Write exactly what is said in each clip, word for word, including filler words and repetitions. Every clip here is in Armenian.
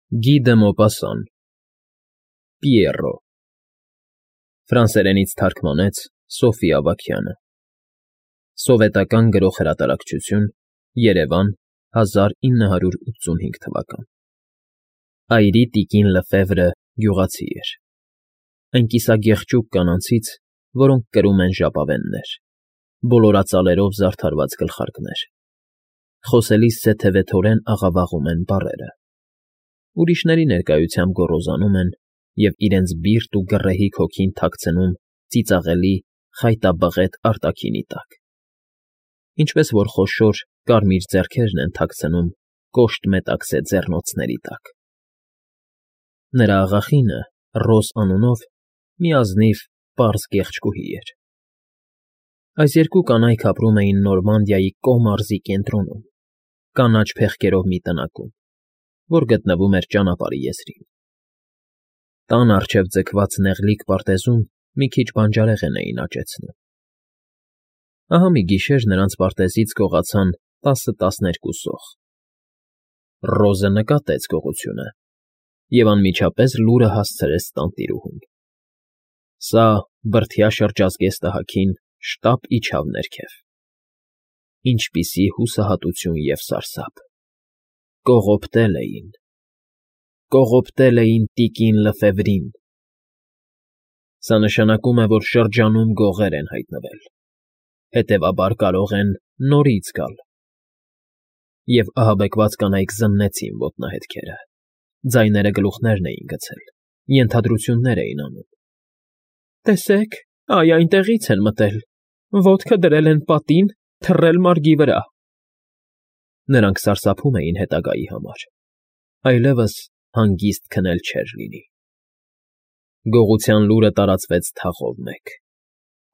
Գի դը Մոպասան Պիեռո Ֆրանսերենից թարգմանեց Սոֆի Ավագյանը Սովետական Գրող Հրատարակչություն Երևան հազար ինը հարյուր ութսունհինգ թվական Այրի տիկին Լեֆևրը գյուղացի էր Այն կիսագեղջուկ կանանցից, որոնք կրում են ժապավեններ, բոլորածալերով զարդարված գլխարկներ, խոսելիս սեթևեթորեն աղավաղում են բառերը, ուրիշների ներկայությամբ գոռոզանում են և իրենց բիրտ ու գռեհիկ հոգին թաքցնում ծիծաղելի, խայտաբղետ արտաքինի տակ, ինչպես որ խոշոր, կարմիր ձեռքերն են թաքցնում կոշտ մետաքսե ձեռնոցների տակ։ Նրա աղախինը, Ռոզ անունով, մի ազնիվ, պարզ գեղեցկուհի էր։ Այս երկու կանայք ապրում էին Նորմանդիայի Կո մարզի կենտրոնում, կանաչ փեղկերով մի տնակում, որ գտնվում էր ճանապարհի եզրին։ Տան առջև ձգված նեղլիկ պարտեզում մի քիչ բանջարեղեն էին աճեցնում։ Ահա մի գիշեր նրանց պարտեզից գողացան տասը֊տասներկու սող։ Ռոզը նկատեց գողությունը և անմիջապես լուրը հասցրեց տանտիրուհուն։ Սա բրդյա շրջազգեստ ահագին շտապ իջավ ներքև։ Ինչպիսի հուսահատություն և սարսափ… Կողոպտել էին… Կողոպտել էին տիկին Լեֆևրին… Սա նշանակում է, որ շրջանում գողեր են հայտնվել, հետևաբար կարող են նորից գալ… Եվ ահաբեկված կանայք զննեցին ոտնահետքերը, ձայները գլուխներն էին գցել, ենթադրություններ էին անում. Տեսեք, այ այնտեղից են մտել, ոտքը դրել են պատին, թռել մարգի վրա… Նրանք սարսափում էին հետագայի համար, այլևս հանգիստ քնել չէր լինի… Գողության լուրը տարածվեց թաղով մեկ,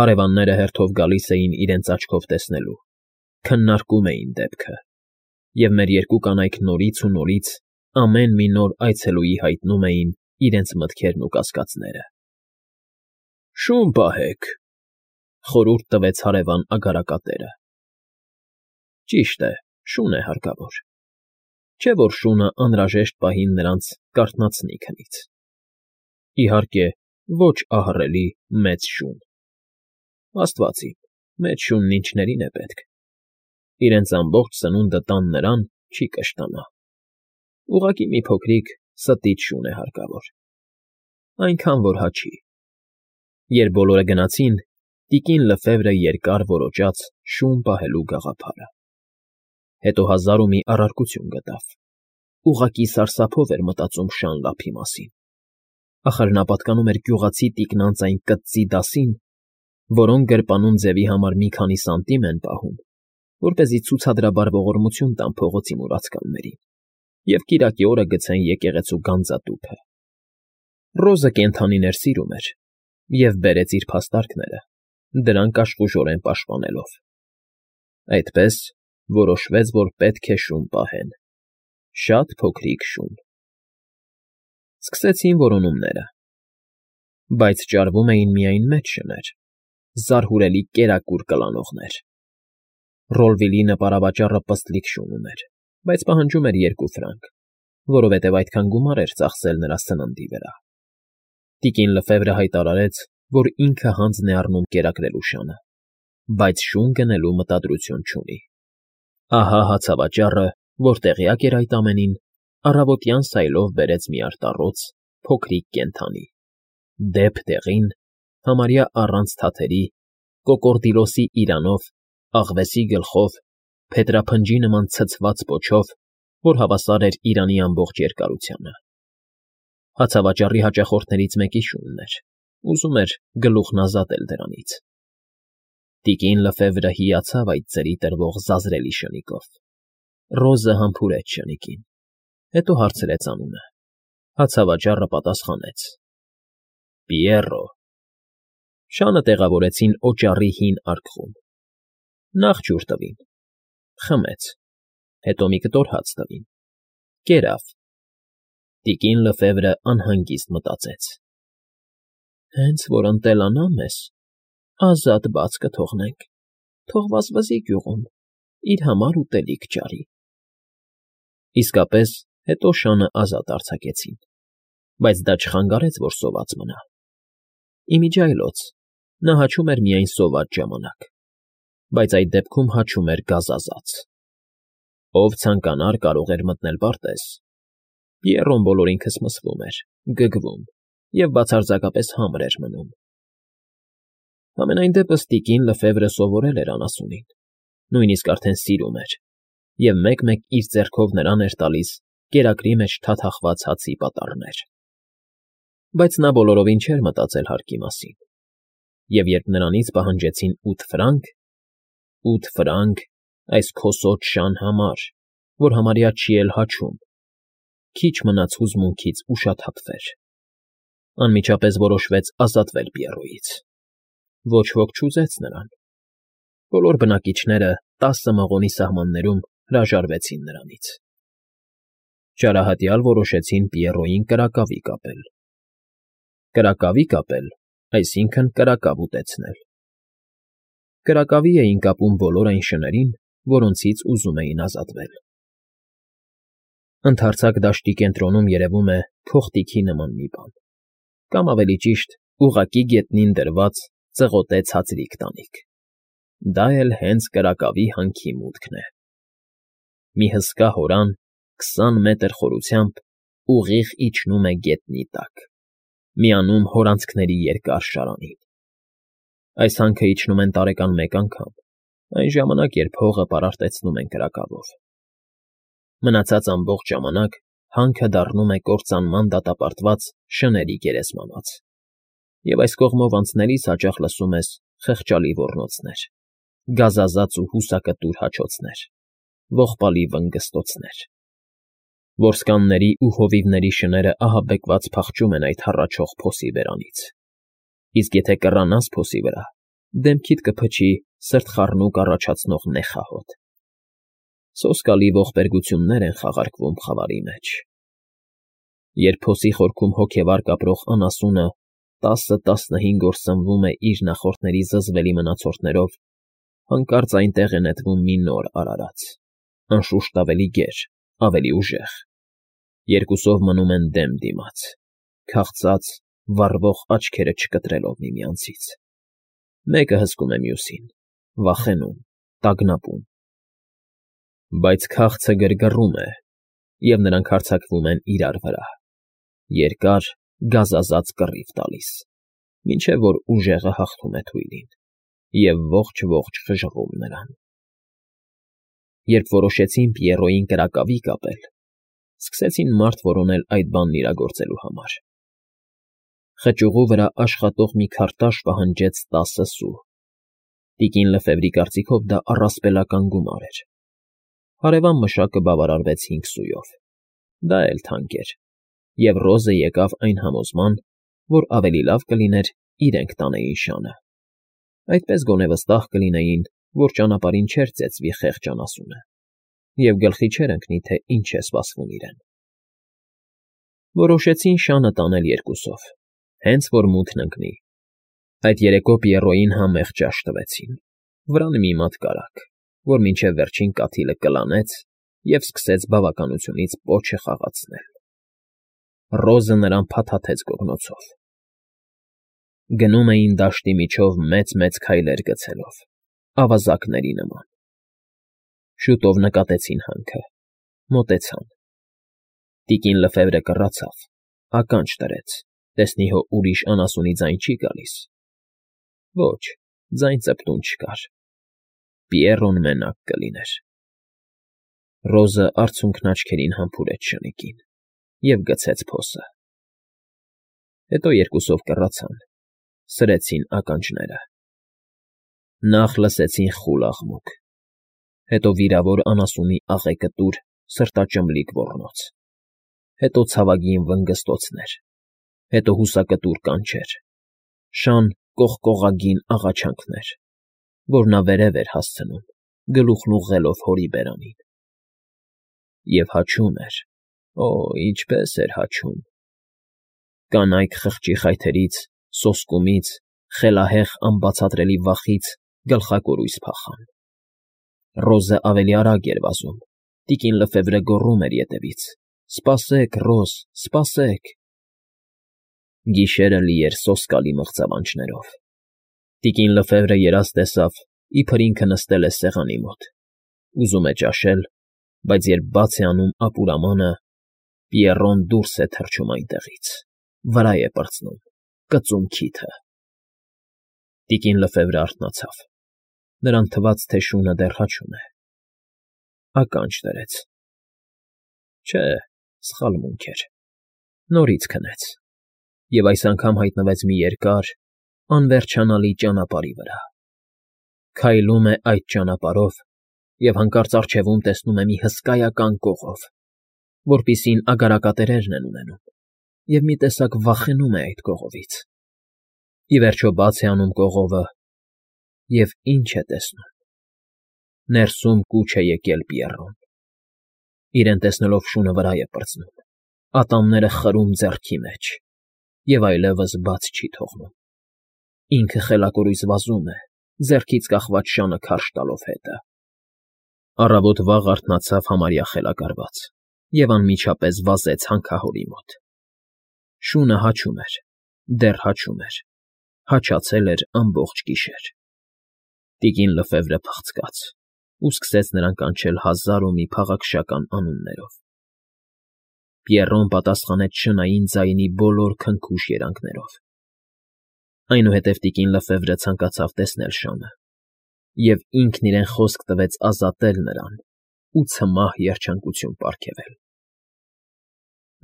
հարևանները հերթով գալիս էին իրենց աչքով տեսնելու, քննարկում էին դեպքը, և մեր երկու կանայք նորից ու նորից ամեն մի նոր այցելուի հայտնում էին իրենց մտքերն ու կասկածները։ Շուն պահեք, խորհուրդ տվեց հարևան Ագարակատերը։ Ճիշտ է, շուն է հարկավոր, չէ՞ որ շունը անհրաժեշտ պահին նրանց կարթնացնի քնից։ Իհարկե, ոչ ահռելի մեծ շուն… Աստված իմ, մեծ շունն ինչներին է պետք… Իրենց ամբողջ սնունդը տան նրան, չի կշտանա… Ուղղակի մի փոքրիկ ստիճ շուն է հարկավոր… Այնքան, որ հաչի… Երբ բոլորը գնացին, տիկին Լեֆևրը երկար որոճաց շուն պահելու գաղափարը… Հետո հազար ու մի առարկություն գտավ… Ուղղակի սարսափով էր մտածում Շան Լափի մասին… Ախր նա պատկանում էր գյուղացի տիկնանց այն կտծի դասին, որոնք գրպանում ձևի համար մի քանի սանտիմ են պահում, որպեսզի ցուցադրաբար ողորմություն տան փողոցի մուրացկաններին և կիրակի օրը գցեն եկեղեցու գանձատուփը… Ռոզը կենդանիներ սիրում էր և բերեց իր փաստարկները, դրանք աշխուժորեն պաշտպանելով… Այդպես, որոշվեց, որ պետք է շուն պահեն… Շատ փոքրիկ շուն… Սկսեցին որոնումները… Բայց ճարվում էին միայն մեծ շներ, զարհուրելի կերակուր կլանողներ… Ռոլվիլի նպարավաճառը պստլիկ շուն ուներ, բայց պահանջում էր երկու ֆրանկ, որովհետև այդքան գումար էր ծախսել նրա սննդի վրա… Տիկին Լեֆևրը հայտարարեց, որ ինքը հանձն է առնում կերակրելու Շանը, բայց շուն գնելու մտադրություն չունի… Ահա հացավաճառը, որ տեղյակ էր այդ ամենին, առավոտյան սայլով բերեց մի արտառոց փոքրիկ կենդանի, դեպ դեղին, համարյա առանց թաթերի, կոկորդիլոսի իրանով, աղվեսի գլխով, փետրափնջի նման ցցված պոչով, որ հավասար էր իրանի ամբողջ երկարությանը… Հացավաճառի հաճախորդներից մեկի շունն էր, ուզում էր գլուխն ազատել դրանից… Տիկին Լեֆևրը հիացավ այդ ձրի տրվող զազրելի շնիկով… Ռոզը համբուրեց շնիկին, հետո հարցրեց անունը… Հացավաճառը պատասխանեց. Պիեռո… Շանը տեղավորեցին օճառի հին արկղում… Նախ ջուր տվին… Խմեց… Հետո մի կտոր հաց տվին… Կերավ… Տիկին Լեֆևրը անհանգիստ մտածեց. Հենց որ ընտելանա մեզ, ազատ բաց կթողնենք, թող վազվզի գյուղում, իր համար ուտելիք ճարի… Իսկապես, Հետո շանը ազատ արձակեցին, բայց դա չխանգարեց, որ սոված մնա։ Իմիջիայլոց նա հաչում էր միայն սոված ժամանակ, բայց այդ դեպքում հաչում էր գազազած։ Ով ցանկանար, կարող էր մտնել պարտեզ։ Պիեռոն բոլոր ինքս մսվում էր, գգվում և բացարձակապես համր էր մնում։ Համենայն դեպս տիկին Լեֆևրը սովորել էր անասունին, նույնիսկ արդեն սիրում էր, և մեկ֊մեկ իր ձեռքով նրան էր տալիս կերակրի մեջ թաթախված հացի պատառներ։ Բայց նա բոլորովին չէր մտածել հարկի մասին, և երբ նրանից պահանջեցին ութ ֆրանկ, ութ ֆրանկ այս քոսոտ շան համար, որ համարյա չի էլ հաչում, քիչ մնաց հուզմունքից ուշաթափվեր։ Անմիջապես որոշվեց ազատվել Պիեռոյից։ Ոչ ոք չուզեց նրան։ Բոլոր բնակիչները տասը մղոնի սահմաններում հրաժարվեցին նրանից։ Չարահատյալ որոշեցին Պիեռոյին կրակավի կապել։ Կրակավի կապել, այսինքն կրակավ ուտեցնել։ Կրակավի էին կապում բոլոր այն շներին, որոնցից ուզում էին ազատվել։ Ընդարձակ դաշտի կենտրոնում երևում է փողտիքի նման մի բան, կամ ավելի ճիշտ, ուղղակի գետնին դրված ծղոտե ցածրիկ տանիք։ Դա էլ հենց կրակավի հանքի մուտքն է։ Մի հսկա հորան քսան մետր խորությամբ ուղիղ իջնում է գետնի տակ, միանում հորանցքների երկար շարանին։ Այս հանքը իջնում են տարեկան մեկ անգամ, այն ժամանակ, երբ հողը պարարտեցնում են կրակավով։ Մնացած ամբողջ ժամանակ հանքը դառնում է կործանման դատապարտված շների գերեզմանոց, և այս կողմով անցնելիս հաճախ լսում ես խղճալի ոռնոցներ, գազազած ու հուսակտուր հաչոցներ, ողբալի վնգստոցներ։ Որսկանների ու հովիվների շները ահաբեկված փախչում են այդ հառաչող փոսի բերանից, իսկ եթե կռանաս փոսի վրա, դեմքիդ կփչի սրտխառնուկ առաջացնող նեխահոտ։ Սոսկալի ողբերգություններ են խաղարկվում խավարի մեջ։ Երբ փոսի խորքում հոգևար կապրող անասունը տասը֊տասնհինգ օր սնվում է իր նախորդների զզվելի մնացորդներով, հանկարծ այնտեղ է նետվում մի նոր արարած, անշուշտ ավելի գեր, ավելի ուժեղ։ Երկուսով մնում են դեմ դիմաց, քաղցած, վառվող աչքերը չկտրելով միմյանցից։ Մեկը հսկում է մյուսին, վախենում, տագնապում։ Բայց քաղցը գրգռում է, և նրանք հարձակվում են իրար վրա, երկար, գազազած կռիվ տալիս, մինչև որ ուժեղը հաղթում է թույլին և ողջ֊ողջ խժռում նրան։ Երբ որոշեցին Պիեռոյին կրակավի կապել, սկսեցին մարդ որոնել այդ բանն իրագործելու համար։ Խճուղու վրա աշխատող մի քարտաշ պահանջեց տասը սու։ Տիկին Լեֆևրի կարծիքով դա առասպելական գումար էր։ Հարևան մշակը բավարարվեց հինգ սույով։ Դա էլ թանկ էր, և Ռոզը եկավ այն համոզման, որ ավելի լավ կլիներ իրենք տանեին շանը։ Այդպես գոնե վստահ կլինեին, որ ճանապարհին չէր ծեծվի խեղճ անասունը, և գլխի չէր ընկնի, թե ինչ է սպասվում իրեն։ Որոշեցին շանը տանել երկուսով, հենց որ մութն ընկնի։ Այդ երեկո Պիեռոյին համեղ ճաշ տվեցին, վրան մի մատ կարագ, որ մինչև վերջին կաթիլը կլանեց և սկսեց բավականությունից պոչը խաղացնել։ Ռոզը նրան փաթաթեց գոգնոցով։ Գնում էին դաշտի միջով մեծ֊մեծ քայլեր գցելով, ավազակների նման։ Շուտով նկատեցին հանքը, մոտեցան։ Տիկին Լեֆևրը կռացավ, ականջ դրեց, տեսնի հո ուրիշ անասունի ձայն չի գալիս։ Ոչ, ձայն ծպտուն չկար։ Պիեռոն մենակ կլիներ։ Ռոզը արցունքն աչքերին համբուրեց շնիկին և գցեց փոսը։ Հետո երկուսով կռացան, սրեցին ականջները։ Նախ լսեցին խուլ աղմուկ, հետո վիրավոր անասունի աղեկտուր, սրտաճմլիկ ոռնոց, հետո ցավագին վնգստոցներ, հետո հուսակտուր կանչեր, շան կողկողագին աղաչանքներ, որ նա վերև էր հասցնում, գլուխն ուղղելով հորի բերանին։ Եվ հաչում էր, օ, ինչպես էր հաչում… Կանայք խղճի խայթերից, սոսկումից, խելահեղ անբացատրելի վախից գլխակորույս փախան։ Ռոզը ավելի արագ էր վազում, տիկին Լեֆևրը գոռում էր ետևից, Սպասեք, Ռոզ, սպասեք… Գիշերը լի էր սոսկալի մղձավանջներով։ Տիկին Լեֆևրը երազ տեսավ, իբր ինքը նստել է սեղանի մոտ, ուզում է ճաշել, բայց երբ բաց է անում ապուրամանը, Պիեռոն դուրս է թռչում այնտեղից, վրա է պրծնում, կծում քիթը… Տիկին Լեֆևրը արթնացավ, նրան թվաց, թե շունը դեռ հաչում է, ականջ դրեց… Չէ, սխալմունք էր, նորից քնեց և այս անգամ հայտնվեց մի երկար, անվերջանալի ճանապարհի վրա, քայլում է այդ ճանապարհով և հանկարծ առջևում տեսնում է մի հսկայական կողով, որպիսին ագարակատերերն են ունենում, և մի տեսակ վախենում է այդ կողովից… Ի վերջո բաց է անում կողովը և ի՞նչ է տեսնում… Ներսում կուչ է եկել Պիեռոն… Իրեն տեսնելով շունը վրա է պրծնում, ատամները խրում ձեռքի մեջ և այլևս բաց չի թողնում… Ինքը խելակորույս վազում է, ձեռքից կախված շանը քարշ տալով հետը… Առավոտ վաղ արթնացավ համարյա խելագարված և անմիջապես վազեց հանքահորի մոտ… Շունը հաչում էր, դեռ հաչում էր, հաչացել էր ամբողջ գիշեր… Տիկին Լեֆևրը փախցկաց ու սկսեց նրան կանչել հազար ու մի փաղաքշական անուններով… Պիեռոն պատասխանեց շնային ձայնի բոլոր քնքուշ երանգներով… Այնուհետև տիկին Լեֆևրը ցանկացավ տեսնել շանը և ինքն իրեն խոսք տվեց ազատել նրան ու ցմահ երջանկություն պարգևել…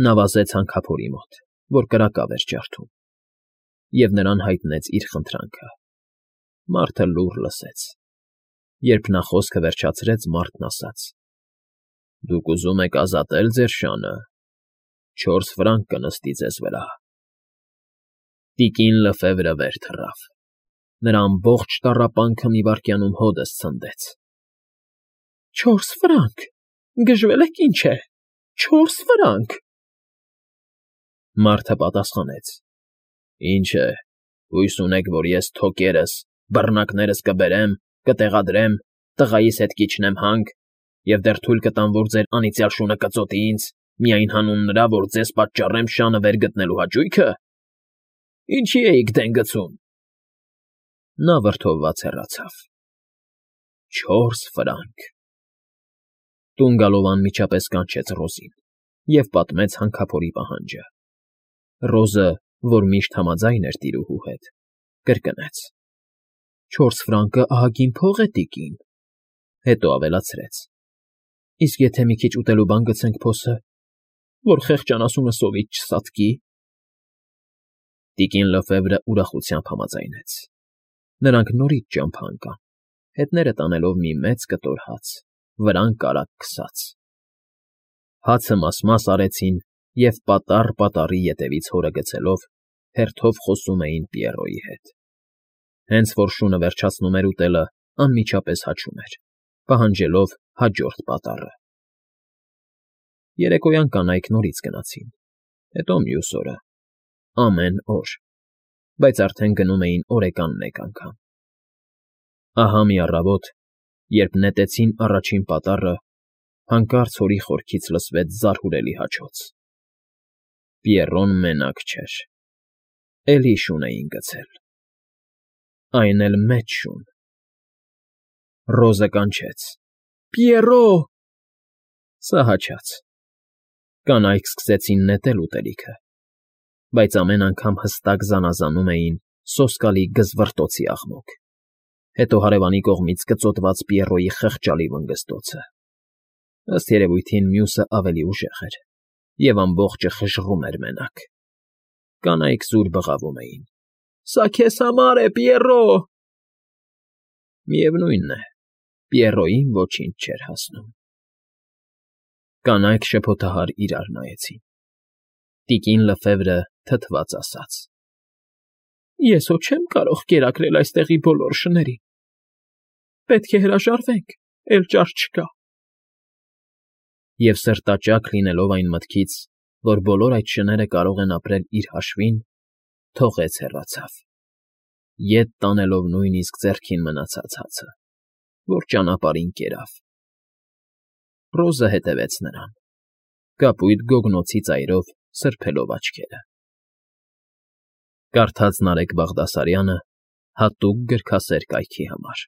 Նա վազեց հանքափորի մոտ, որ կրակավ էր ջարդում, և նրան հայտնեց իր խնդրանքը… Մարդը լուռ լսեց… Երբ նա խոսքը վերջացրեց, մարդն ասաց. «Դուք ուզում եք ազատե՞լ ձեր շանը, չորս ֆրանկ կնստի ձեզ վրա»… Տիկին Լեֆևրը վեր թռավ… Նրա ամբողջ տառապանքը մի վայրկյանում հօդս ցնդեց… Չորս ֆրանկ… Գժվել եք, ինչ է… Չորս ֆրանկ… Մարդը պատասխանեց. «Ինչ է, հույս ունեք, որ ես թոկերս, բռնակներս կբերեմ, կտեղադրեմ, տղայիս հետ կիջնեմ հանք և դեռ թույլ կտամ, որ ձեր անիծյալ շունը կծոտի ինձ, միայն հանուն նրա, որ ձեզ պատճառեմ շանը վեր գտնելու հաճույքը… Ինչի էիք դեն գցում»… Նա վրդովված հեռացավ… Չորս ֆրանկ… Տուն գալով անմիջապես կանչեց Ռոզին և պատմեց հանքափորի պահանջը… Ռոզը, որ միշտ համաձայն էր տիրուհու հետ, կրկնեց. «Չորս ֆրանկը ահագին փող է, տիկին…»… Հետո ավելացրեց. «Իսկ եթե մի քիչ ուտելու բան գցենք փոսը, որ խեղճ անասունը սովից չսատկի…»… Տիկին Լեֆևրը ուրախությամբ համաձայնեց… Նրանք նորից ճամփա ընկան, հետները տանելով մի մեծ կտոր հաց, վրան կարագ քսած… Հացը մաս֊մաս արեցին և պատառ֊պատառի ետևից հորը գցելով, հերթով խոսում էին Պիեռոյի հետ… Հենց որ շունը վերջացնում էր ուտելը, անմիջապես հաչում էր, պահանջելով հաջորդ պատառը… Երեկոյան կանայք նորից գնացին, հետո մյուս օրը, ամեն օր, բայց արդեն գնում էին օրեկան մեկ անգամ… Ահա մի առավոտ, երբ նետեցին առաջին պատառը, հանկարծ հորի խորքից լսվեց զարհուրելի հաչոց… Պիեռոն մենակ չէր… Էլի շուն էին գցել… Այն էլ մեծ շուն… Ռոզը կանչեց. «Պիեռո՜»… Սա հաչաց… Կանայք սկսեցին նետել ուտելիքը, բայց ամեն անգամ հստակ զանազանում էին սոսկալի գզվռտոցի աղմուկ, հետո հարևանի կողմից կծոտված Պիեռոյի խղճալի վնգզտոցը… Ըստ երևույթին մյուսը ավելի ուժեղ էր և ամբողջը խժռում էր մենակ… Կանայք զուր բղավում էին. «Սա քեզ համար է, Պիեռո՜»… Միևնույն է, Պիեռոյին ոչինչ չէր հասնում… Կանայք շփոթահար իրար նայեցին… Տիկին Լեֆևրը թթված ասաց. «Ես հո չեմ կարող կերակրել այստեղի բոլոր շներին… Պետք է հրաժարվենք, էլ ճար չկա…» Եվ սրտաճաք լինելով այն մտքից, որ բոլոր այդ շները կարող են ապրել իր հաշվին, թողեց հեռացավ, ետ տանելով նույնիսկ ձեռքին մնացած հացը, որ ճանապարհին կերավ… Ռոզը հետևեց նրան, կապույտ գոգնոցի ծայրով սրբելով աչքերը։ Կարդաց Նարեկ Բաղդասարյանը հատուկ գրքասեր կայքի համար։